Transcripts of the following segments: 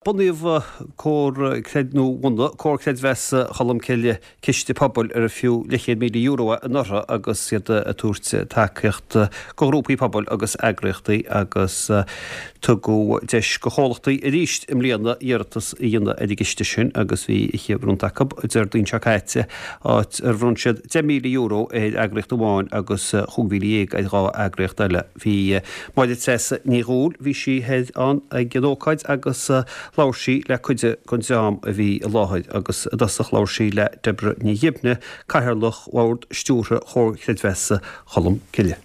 Bunaíodh Comhar Creid nó bhunaigh Comhar Creidmheasa Cholmcille ciste pobail ar fiú leathchéad €1,000 é anuraidh agus iad ag tabhairt tacaíocht do ghrúpaí pobail agus eagraíochtaí agus tugadh deis do chomhlachtaí arís i mbliana iarratas a dhéanamh ar an gciste sin agus bhí oíche bhronnta acu Déardaoin seo caite áit ar bhronn siad €10,000 ar eagraíocht amháin agus 15,000 ar dhá eagraíocht eile. Bhí Máire Treasa Ní Dhubhghaill, bhí sí thoir ann ag an ócáid agus labhair sí le cuid den dream a bhí i láthair agus i dtosach labhair sí le Deborah Ní Ghibne, Cathaoirleach Bhord Stiúrtha Chomhar Creidmheasa Cholm Cille.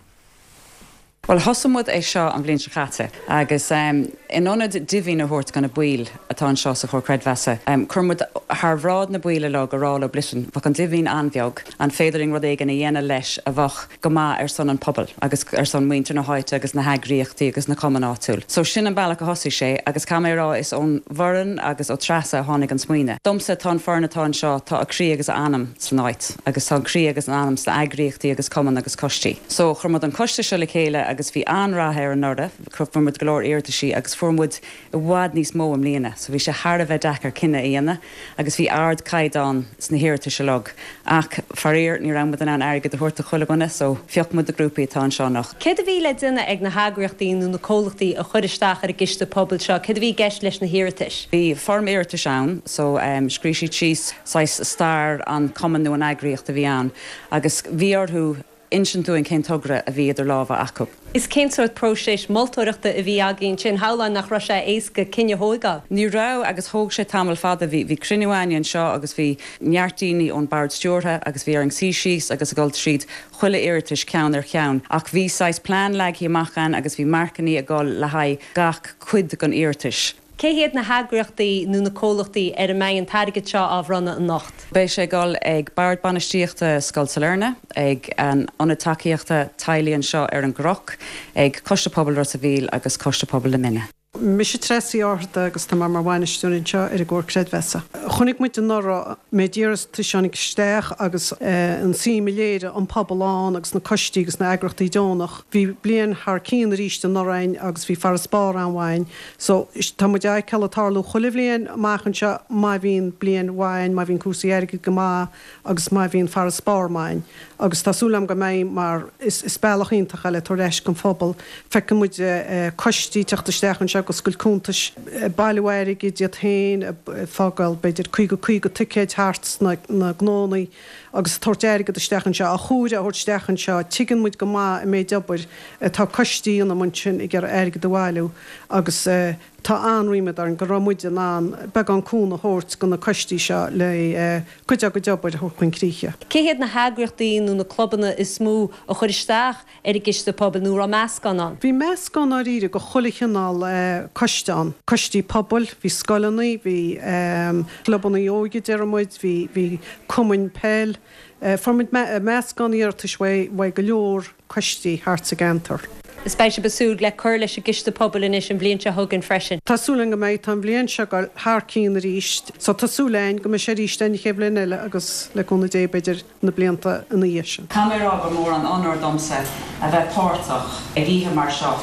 Bhuel, thosaigh muid é seo an bhliain seo caite agus in ionad dividend a thabhairt do na baill atá anseo sa Chomhar Creidmheasa, chuir muid thar bhráid na baill uilig a rá leo, listen, bheadh an dividend an-bheag, an féidir linn rud éigin a dhéanamh leis a bheadh go maith ar son an pobail agus ar son muintir na háite agus na heagraíochtaí agus na cumainn áitiúil. So sin an bealach a thosaigh sé agus caithfidh mé a rá is ón bhfoireann agus ó Treasa a tháinig an smaoineamh. Domsa tá an foireann atá anseo, tá a croí agus a anam san áit agus tá an croí agus an anam sna eagraíochtaí agus cumainn agus coistí. So chuir muid an coiste seo le chéile agus bhí an-rath air anuraidh, fuair muid go leor iarrataisí agus fuair muid i bhfad níos mó i mbliana so bhí sé thar a bheith deacair cinneadh a dhéanamh agus bhí ardchaighdeán sna hiarratais uilig ach faraor ní raibh muid in ann airgead a thabhairt do chuile dhuine so phioc muid na grúpaí atá anseo anocht. Céard a bhí le déanamh ag na heagraíochtaí nó na comhlachtaí a chuir isteach ar an gciste pobail seo? Céard a bhí i gceist leis na hiarratais? Bhí foirm iarratais ann so scríobh siad síos saghas stair an chumainn nó an eagraíocht a bhí ann agus bhí orthu insint dúinn cén togra a bhí idir lámha acu. Is cén sórt próiseas moltóireachta a bhí agaibh ansin? Shamhlóinn nach raibh sé éasca cinneadh a thóigeáil. Ní raibh agus thóg sé tamall fada. Bhí, bhí cruinniú againne anseo agus bhí neart daoine ón bord stiúrtha agus bhí orainn suí síos agus a dhul tríd chuile iarratais ceann ar cheann. Ach bhí saghas plean leagtha amach againn agus bhí marcannaí ag dul le haghaidh gach cuid den iarratais. Cé hiad na heagraíochtaí nó na comhlachtaí ar a mbeidh an t-airgead seo á bhronnadh anocht? Beidh sé ag dul ag Bord Bainistíochta Scoil Sailearna, ag an Ionad Tacaíochta Teaghlaigh anseo ar an gCnoc, ag Coiste Pobail Ros a' Mhíl agus Coiste Pobail na Minne. Mise Treasa Uí Fhátharta agus tá mé mar bhainisteoir anseo ar an gComhar Creidmheasa. Chonaic muid anuraidh an méid iarratais a tháinig isteach agus an suim a léirigh an pobal ann agus na coistí agus na eagrachtaí deonach. Bhí bliain thar cionn arís anuraidh againn agus bhí farasbarr an-mhaith againn. So, tá muid á fheiceáil ag tarlú chuile bhliain amach anseo má bhíonn bliain mhaith againn, má bhíonn cúrsaí airgid go maith agus má bhíonn farasbarr maith againn. Agus tá súil agam go mbeidh mar is bealach iontach é le tabhairt ar ais don phobal. Feiceann muid coistí ag teacht isteach anseo ag oscailt cuntais, ag bailiú airgid iad féin, ag fágáil b'fhéidir 50, 50 ticéid thart sna gnónnaí agus ag tabhairt airgead isteach anseo, á chomhaireamh a thabhairt isteach anseo. Tuigeann muid go maith an méid obair atá coistí a dhéanamh ansin ag iarraidh airgead a bhailiú agus tá an-ríméad orainn go raibh muid in ann beagán cúnamh a thabhairt do na coistí seo le cuid dá gcuid obair a thabhairt chun críche. Cé hiad na heagraíochtaí nó na clubanna is mó a chuir isteach ar an gciste pobail nó raibh meascán ann? Bhí meascán dáiríre de chuile chineál coiste ann. Coistí pobail, bhí scoileanna, bhí clubanna óige déarfaidh muid, bhí bhí cumainn peil. Fuair muid meascán iarratais uaidh go leor coistí thart sa gceantar. Is beidh sibh ag súil le cur leis an gciste pobail anois an bhliain seo chugainn freisin. Tá súil againn go mbeidh. Tá an bhliain seo ag dul thar cionn arís so tá súil againn go mbeidh sé arís an chéad bhliain eile agus le cúnamh Dé b'fhéidir na blianta ina dhiaidh sin. Caithfidh mé a rá gur mór an onóir domsa a bheith páirteach ag oíche mar seo.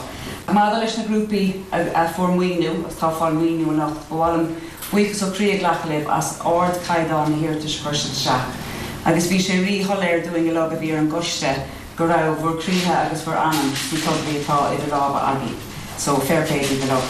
Maidir leis na grúpaí a fuair maoiniú agus atá ag fáil maoiniú anocht, ba mhaith liom buíochas ó chroí a ghlacadh libh as ardchaighdeán na hiarratais a chuir sibh isteach. Agus bhí sé rí-shoiléir dúinn uilig a bhí ar an gcoiste go raibh bhur gcroíthe agus bhur anam sna tograí atá idir lámha agaibh. So, fair play daoibh uilig.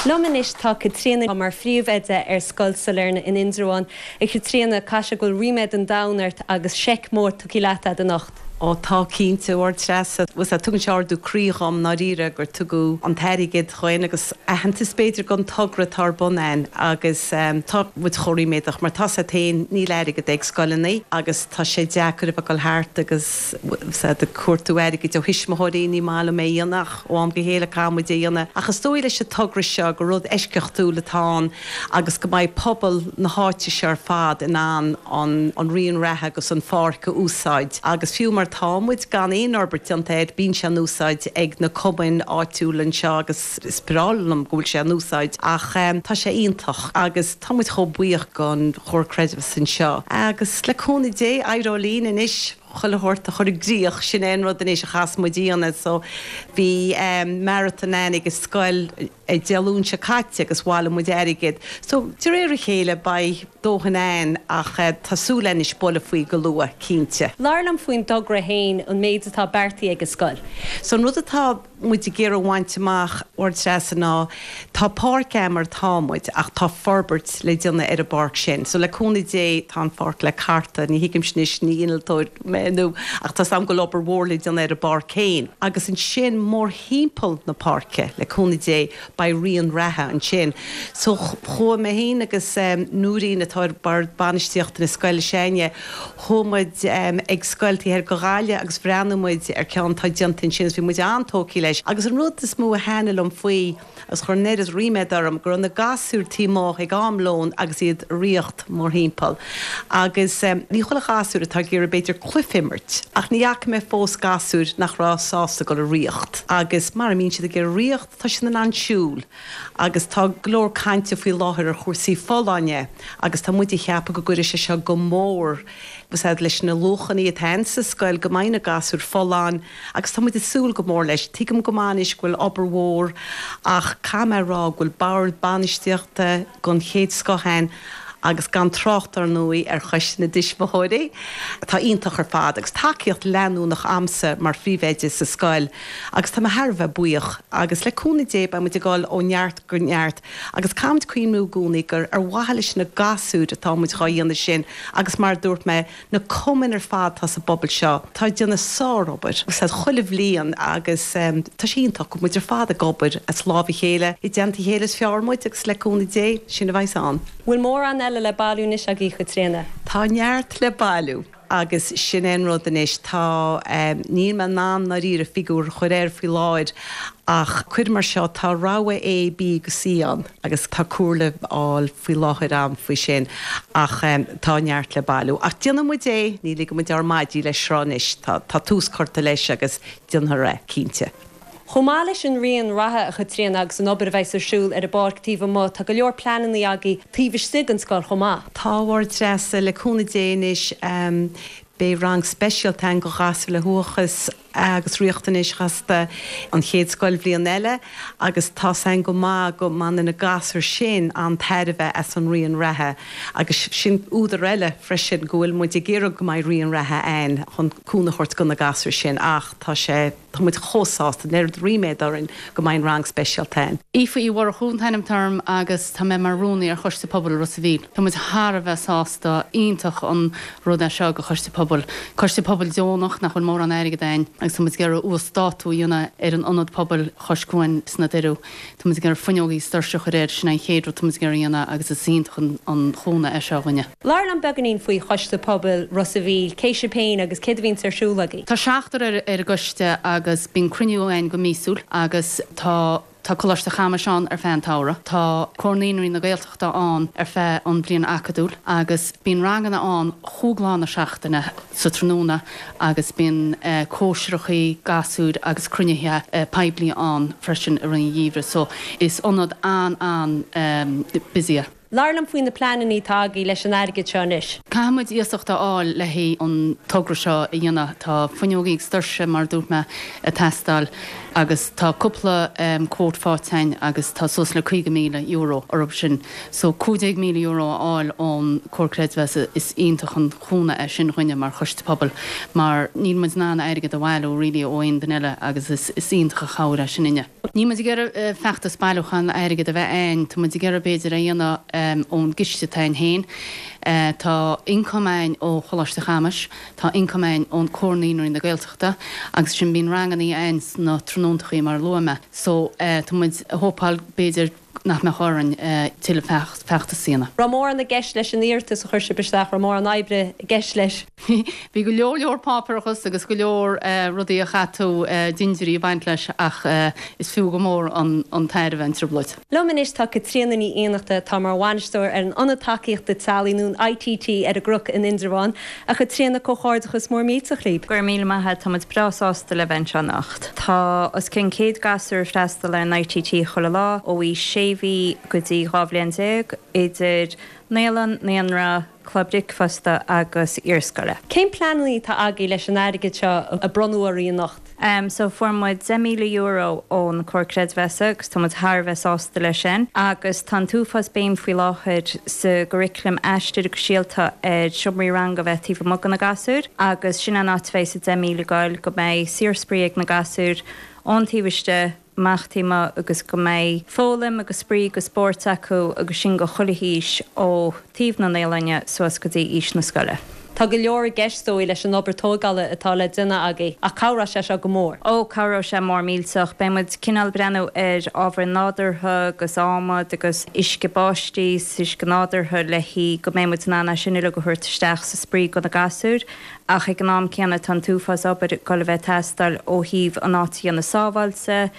Liom anois tá Caitríona mar phríomhoide ar Scoil Sailearna in Indreabhán. A Chaitríona, caithfidh sé go bhfuil ríméad an domhain ort agus seic mór tugtha leat a'd anocht. Ó tá, cinnte, a Threasa. Bhuel, tugann sé ardú croí dhom, ndáiríre, gur tugadh an t-airgead dhuinn agus aitheantas b'fhéidir don togra atá ar bun a'inn agus tá muid chomh ríméadach mar tá's a'd féin níl airgead ag scoileanna agus tá sé deacair a bheith ag dul thart agus tá's a'd ag cuartú airgid ó thuismitheoirí, ní maith liom é a dhéanamh ach ó am go chéile caithfidh muid é a dhéanamh ach is dóigh leis an togra seo gur rud eisceachtúil atá ann agus go mbeidh pobal na háite seo ar fad in ann an raon reatha agus an pháirc a úsáid agus fiú mar tá muid gan aon fhorbairt déanta air bíonn sé in úsáid ag na cumainn áitiúla anseo agus is breá liom go bhfuil sé in úsáid ach tá sé iontach agus tá muid chomh buíoch don Chomhar Creidmheasa anseo agus le cúnamh Dé éireoidh linn anois. Chuile shórt a chur i gcrích, sin é an rud anois a chaithfeas muid a dhéanamh. So bhí marathon ann ag an scoil Dé Luain seo caite agus bhailigh muid airgead. So de réir a chéile beidh dóthain ann ach tá súil againn anois bualadh faoi go luath, cinnte. Labhair liom faoin dtogra féin, an méid atá beartaithe ag an scoil. So an rud atá muid ag iarraidh a bhaint amach, a Threasa, ná tá páirc a'm mar atá muid ach tá forbairt le déanamh ar an bpáirc sin. So le cúnamh Dé tá an pháirc le cartadh, ní thuigimse anois, ní innealtóir mé nó ach tá's a'm go bhfuil obair mhór le déanamh ar an bpáirc féin. Agus ansin mórthimpeall na páirce, le cúnamh Dé, beidh rian reatha ansin. So chuaigh mé féin agus Nóirín atá ar bord bainistíochta na scoile s'againne, Chuaigh muid ag scoil taobh thoir de Ghaillimh agus bhreathnaigh muid ar ceann atá déanta ansin agus bhí muid an-tógtha leis. Agus an rud is mó a thaitnigh liom faoi, agus chuir an oiread ríméad orm, go raibh na gasúir taobh amuigh ag am lóin agus iad ag ritheacht mórthimpeall. Agus ní chuile ghasúr atá ag iarraidh b'fhéidir cluiche a imirt, ach ní fhaca mé fós gasúir nach raibh sásta dul ag ritheacht. Agus mara mbíonn siad ag iarraidh ritheacht, tá siad in ann siúl. Agus tá go leor cainte faoi láthair ar chúrsaí folláine agus tá muid ag ceapadh go gcuirfidh sé seo go mór leis na luachanna atá ann sa scoil, go mbeidh na gasúir folláin agus tá muid ag súil go mór leis. Tuigim go maith anois go bhfuil obair mhór ach caithfidh mé a rá go bhfuil bord bainistíochta den chéad scoth ann agus gan trácht ar ndóigh ar Choiste na dTuismitheoirí atá iontach ar fad agus tacaíocht leanúnach a'msa mar phríomhoide sa scoil agus tá mé thar a bheith buíoch agus le cúnamh Dé beidh muid ag dul ó neart go neart agus caithfimid cuimhniú i gcónaí gur ar mhaithe leis na gasúir atá muid dhá dhéanamh sin agus mar a dúirt mé na cumainn ar fad atá sa bpobal seo atá ag déanamh sárobair chuile bhliain agus tá sé iontach go bhfuil muid ar fad ag obair as lámh a chéile, i dteannta a chéile is fearr muid agus le cúnamh Dé sin a bheas ann. Bhfuil mórán eile le bailiú anois agaibh, a Chaitríona? Tá neart le bailiú agus sin é an rud anois, tá, níl mé in ann ndáiríre figiúr a chur air faoi láthair ach cuir mar seo, tá rogha A, B agus C ann agus tá comhairle á fháil faoi láthair a'm faoi sin ach tá neart le bailiú. Ach déanfaidh muid é, ní ligfidh muid ár maidí leis seo anois, tá, tá tús curtha leis agus déanfar é, cinnte. Chomh maith leis an rian reatha, a Chaitríona, agus an obair a bheas ar siúl ar an bpáirc taobh amuigh, tá go leor pleananna agaibh taobh istigh den scoil chomh maith. Tá, a Threasa, le cúnamh Dé anois beidh rang speisialta againn do ghasúir le huathachas agus riachtanais chasta an chéad scoilbhliain eile agus tá's againn go maith go mbaineann na gasúir sin an-tairbhe as an rian reatha agus sin údar eile freisin go bhfuil muid ag iarraidh go mbeidh rian reatha againn chun cúnamh a thabhairt do na gasúir sin ach tá sé Tá muid chomh sásta, an oiread ríméad orainn go mbeidh an rang speisialta againn. Aoife Uí Mhurchú an t-ainm atá orm agus tá mé mar rúnaí ar Choiste Pobail Ros a' Mhíl. Tá muid thar a bheith sásta, iontach an rud é seo do Choiste Pobail. Coiste Pobail deonach nach bhfuil mórán airgead againn agus tá muid ag iarraidh uasdátú a dhéanamh ar an ionad pobail chois cuain sna Doireadh. Tá muid ag iarraidh fuinneogaí is doirse a chur air, sin é an chéad rud tá muid ag iarraidh a dhéanamh agus is iontach an chúnamh é seo dhuinne. Labhair liom beagáinín faoi Choiste Pobail Ros a' Mhíl, cé sibh féin agus céard a bhíonns ar siúl agaibh? Tá seachtar ar ar an gcoiste agus bíonn cruinniú againn go míosúil agus tá tá Coláiste Chamais ann ar feadh an tsamhraidh, tá Comhar Naíonraí na Gaeltachta ann ar feadh an bhliain acadúil agus bíonn ranganna ann chúig lá na seachtaine sa tráthnóna agus bíonn cóisireachaí gasúir agus cruinnithe poiblí ann freisin i rith an gheimhridh so is ionad an-an-busy é. Labhair liom faoi na pleananna atá agaibh leis an airgead seo anois. Caithfidh muid iasacht a fháil le haghaidh an togra seo a dhéanamh. Tá fuinneogaí agus doirse, mar a dúirt mé, ag teastáil agus tá cúpla quote faighte againn agus tá suas le €50,000 orthu sin. So €15,000 a fháil ón Comhar Creidmheasa, is iontach an cúnamh é sin dhuinne mar choiste pobail mar níl muid in ann airgead a bhailiú really ó aon duine eile agus is iontach an chabhair é sin dhuinne. Níl muid ag iarraidh feachtas bailiúcháin airgid a bheith a'ainn, tá muid ag iarraidh b'fhéidir é a dhéanamh ón gciste atá a'ainn féin. Tá ioncam a'ainn ó Choláiste Chamais, tá ioncam a'ainn ón Comhar Naíonraí na Gaeltachta agus sin bíonn rangannaí a'ainn sna tráthnóntachaí mar a luaigh mé. So tá muid ag hópáil b'fhéidir nach mbeadh orainn tuilleadh feachtas a dhéanamh. Raibh mórán i gceist leis an iarratas a chuir sibh isteach, raibh mórán oibre i gceist leis? Bhí go leor leor páipéarachas agus go leor rudaí a chaith tú dindiúirí ag baint leis ach is fiú go mór an tairbhe an trioblóid. Liom anois tá Caitríona Ní Fhiannachta atá mar bhainisteoir ar an Ionad Tacaíochta Teaghlaigh nó an ITT ar an gCnoc in Indreabhán. A Chaitríona, comhghairdeachas mór millteach libh. Go raibh míle maith agat, tá muid breá sásta le bheith anseo anocht. Tá os cionn 100 gasúr ag freastal ar an ITT chuile lá, ó aois sé mhí go dtí 12 bhliain, idir. Naíolann, Naíonra, Club Bricfeasta agus Iarscoile. Cén pleananna atá agaibh leis an airgead seo a bronnadh oraibh anocht? So fuair muid €10,000 ón Comhar Creidmheasa agus tá muid thar a bheith sásta leis sin. Agus tá an t-uafás béim faoi láthair sa gcurriculum Aistear agus Síolta ar seomraí ranga a bheith taobh amuigh do na gasúir agus sin an áit a bheidh an 10,000 ag goil, go mbeidh saorspraoi ag na gasúir ón taobh istigh amach taobh amuigh agus go mbeidh foghlaim agus spraoi agus spóirt acu agus sin go chuile haois ó taobh na naíolainne suas go dtí aois na scoile. Tá go leor i gceist, is dóigh, leis an obair tógála atá le déanamh agaibh, ach cabhróidh sé seo go mór. Ó, cabhróidh sé mór millteach. Beidh muid cineál breathnú ar ábhair nádúrtha agus adhmad agus uisce báistí is uisce nádúrtha le haghaidh go mbeidh muid in ann é sin uilig a thabhairt isteach sa spraoi do na gasúir. Ach ag an am céanna tá an t-uafás obair ag dul a bheith ag teastáil ó thaobh an áit a dhéanamh sábháilte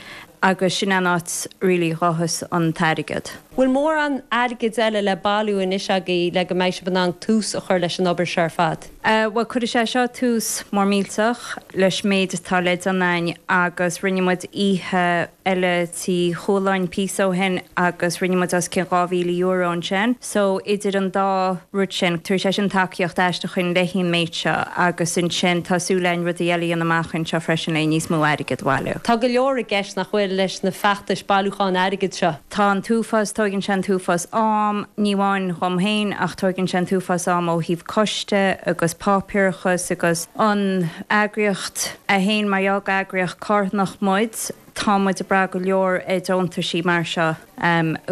agus sin an áit really a ghabhfas an t-airgead. Bhfuil mórán airgid eile le bailiú anois agaibh le go mbeidh sibh in ann tús a chur leis an obair seo ar fad? Bhuel, cuirfidh sé seo tús mór millteach leis méid atá le déanamh againn agus rinne muid oíche eile Tí Chualáin píosa ó shin agus rinne muid os cionn €2,000 ansin. So idir an dá rud sin, tabharfaidh sé sin tacaíocht aisteach dhuinn le haghaidh an méid seo agus ansin tá súil againn rudaí eile a dhéanamh amach anseo freisin le níos mó airgead a bhailiú. Tá go leor i gceist, nach bhfuil, leis na feachtais bailiúcháin airgid seo? Tá an t-uafás, tóigeann sé an t-uafás am, ní amháin dhom féin ach tóigeann sé an t-uafás am ó thaobh coiste agus páipéarachas agus an eagraíocht é féin mar gheall gur eagraíocht carthanach muid, tá muid ag brath go leor ar deontaisí mar seo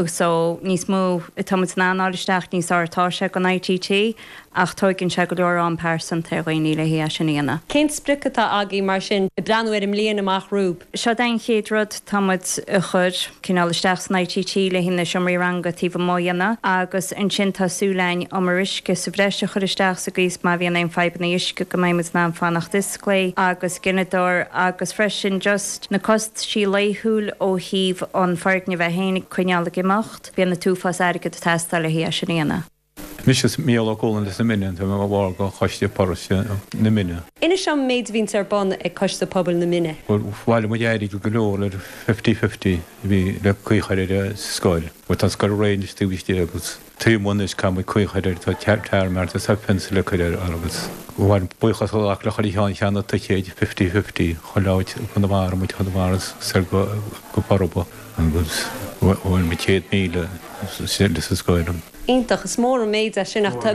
so níos mó atá muid in ann fháil isteach níos fearr atá sé don ITT ach tóigeann sé go leor am pearsanta ar dhaoine le haghaidh é sin a dhéanamh. Cén sprioc atá agaibh mar sin, ag breathnú ar an mbliain amach romhaibh? Seo é an chéad rud tá muid a chur cineál isteach san ITT le haghaidh na seomraí ranga taobh amuigh a dhéanamh agus ansin tá súil againn umar uisce sa bhreis a chur isteach sa gcaoi is má bhíonn aon fadhbanna uisce go mbeidh muid in ann fanacht osclaí agus gineadóir agus freisin just Na costaisí laethúil ó thaobh an foirgneamh é féin a coinneáil ag imeacht, bíonn an t-uafás airgead ag teastáil le haghaidh é sin a dhéanamh. Mise Mícheál Ó Cualáin as na Mine, tá mé mar bhall de Choiste Paróiste na Mine. Inis dom an méid a bhíonns ar bun ag Coiste Pobail na Mine. Bhuel, bhailigh muid airgead go leor le fifty fifty a bhí le caoi a chur ar an scoil. Bhuel, tá an scoil réidh anois taobh istigh agus. Taobh amuigh anois caithfidh muid caoi a chur air, tá tarmac agus tá fence le cur air agus bhain buíochas a ghlacadh le chuile cheann cheannaigh ticéid fifty fifty chuile áit i gConamara muid Chonamara soir go go Forba agus bhain muid 100,000 sa scoil. Iontach, is mór an méid é sin ach tá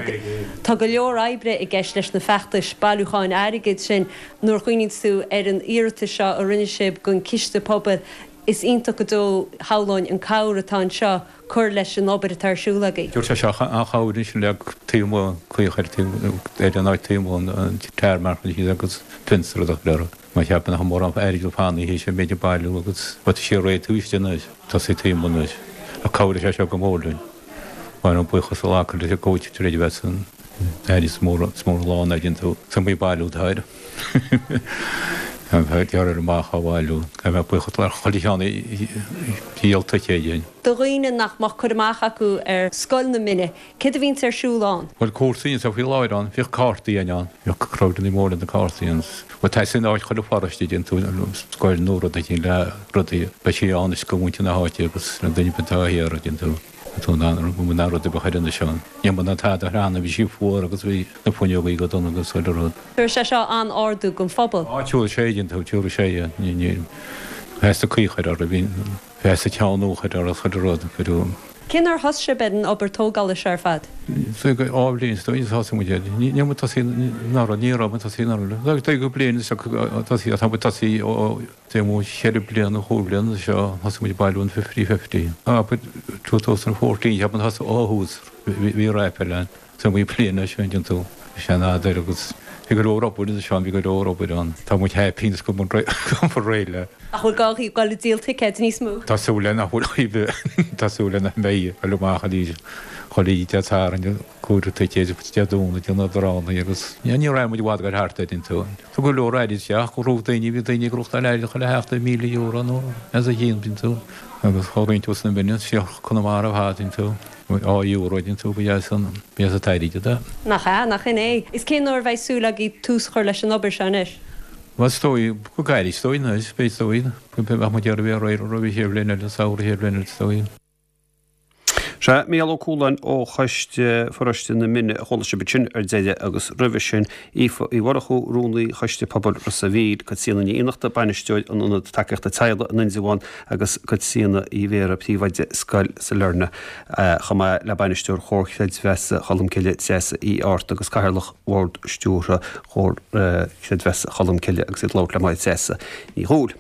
tá go leor oibre i gceist leis na feachtais bailiúcháin airgid sin. Nuair a chuimhníonns tú ar an iarratas seo a rinne sibh don Chiste Pobail is iontach go deo shamhlóinn an cabhair atá anseo cur leis an obair atá ar siúl agaibh. Dúirt sé seo an-chabhair ansin le taobh amuigh caoi a chur ar an áit taobh amuigh an tarmac agus fence rud a chur orthu. Má cheapann nach mórán airgead fanaithe théis an méid a bailiú agus tá sé réidh taobh istigh anois, tosaí taobh amuigh anois. Ach cabhróidh sé seo go mór linn. Bhain buíochas a ghlacadh leis an gcomhaid tar éis a bheith san aire is mór is mór an lá ná déanann tú is iomaí bailiú atá air. Gearr ar amach á bhailiú. Caithfidh mé buíochas le chuile cheann a dhíol ticéid againn. Do dhaoine nach mbeadh cur amach acu ar Scoil na Mine, céard a bhíonns ar siúl ann? Bhuel, cúrsaí anseo faoi láthair ann, bhíodh cártaí againn ann, bhíodh crowdanna móra na cártaí ann. Bhuel, tá san áit chuile pharóiste, déanann tú scoil nó rud éigin le rudaí, beidh sí ann is go mhuintir na háite agus le duine ar bith atá thiar, déanann tú. Tá an an rud a bheadh ar anois ann. Ní mba ná tada cheana, bhí sí fuar agus bhí na fuinneogaí go dona agus chuile rud. Tabharfaidh sé seo an-ardú don phobal. Á, tabharfaidh sé, déanann tú, tabharfaidh sé, yeah. Ní, ní, feasta caoi a chur orthu, bhí feasta ceann nua a chur orthu, chuile rud, cuireadh. Cén uair a thosaigh sibh ar an obair tógála seo ar fad? Dhá bhliain is dóigh, thosaigh muid air. Ní, ní raibh muid tosaithe anuraidh, ní raibh muid tosaithe anuraidh. Dóigh go bliain is tosaithe, tá muid tosaithe ó Taobh amuigh cheithre bliana, chúig bhliana seo, thosaigh muid ag bailiú an fifty fifty. Abair 2014, cheap mé thosaigh ó thús, bhí raifil ann. So bhí bliain leis sin, déanann tú, sean-fheadar agus bhí go leor obair anseo, bhí go leor obair ann. Tá muid happy anois go bhfuil réidh le. Nach bhfuil gá dhaoibh dul ag díol ticéid níos mó? Tá súil le nach bhfuil, tá súil le nach mbeidh, dul amach arís, chuile oíche Dé Sathairn, cuairteoir ticéid Dé Domhnaigh, déanamh drámaí agus ní raibh muid i bhfad ag dul thart air, déanann tú. Tá go leor airgid isteach, go raibh daoine, bhí daoine ag gnóthachtáil airgid chuile sheachtain, €1,000 nó as a chionn, déanann tú, agus chomh roinnt os na mine, siar Conamara ar fad, déanann tú, á euro, déanann tú, ba dheas an, ba dheas an t-airgead é. Nach ea, nach in é. Is cén uair a bheidh súil agaibh tús a chur leis an obair seo anois? Bhuel, is dóigh, go gairid, is dóigh anois, beidh, is dóigh, bheadh muid ag iarraidh a bheith réidh roimh an chéad bhliain eile, an samhradh chéad bhliain eile, is dóigh. Sea, Mícheál Ó Cualáin ó Choiste Pharóiste na Mine a chuala sibh ansin ar deireadh agus roimhe sin Aoife Uí Mhurchú, Rúnaí Choiste Pobail Ros a' Mhíl, Caitríona Ní Fhiannachta, Bainisteoir an Ionad Tacaíochta Teaghlaigh in Indreabhán agus Caitríona Uí Bhéarra, Príomhoide Scoil Sailearna, chomh maith le Bainisteoir Chomhar Creidmheasa Cholmcille, Treasa Uí Fhátharta agus Cathaoirleach Bhord Stiúrtha Chomhar Creidmheasa Cholmcille agus iad ag labhairt le Máire Treasa Ní Dhubhghaill.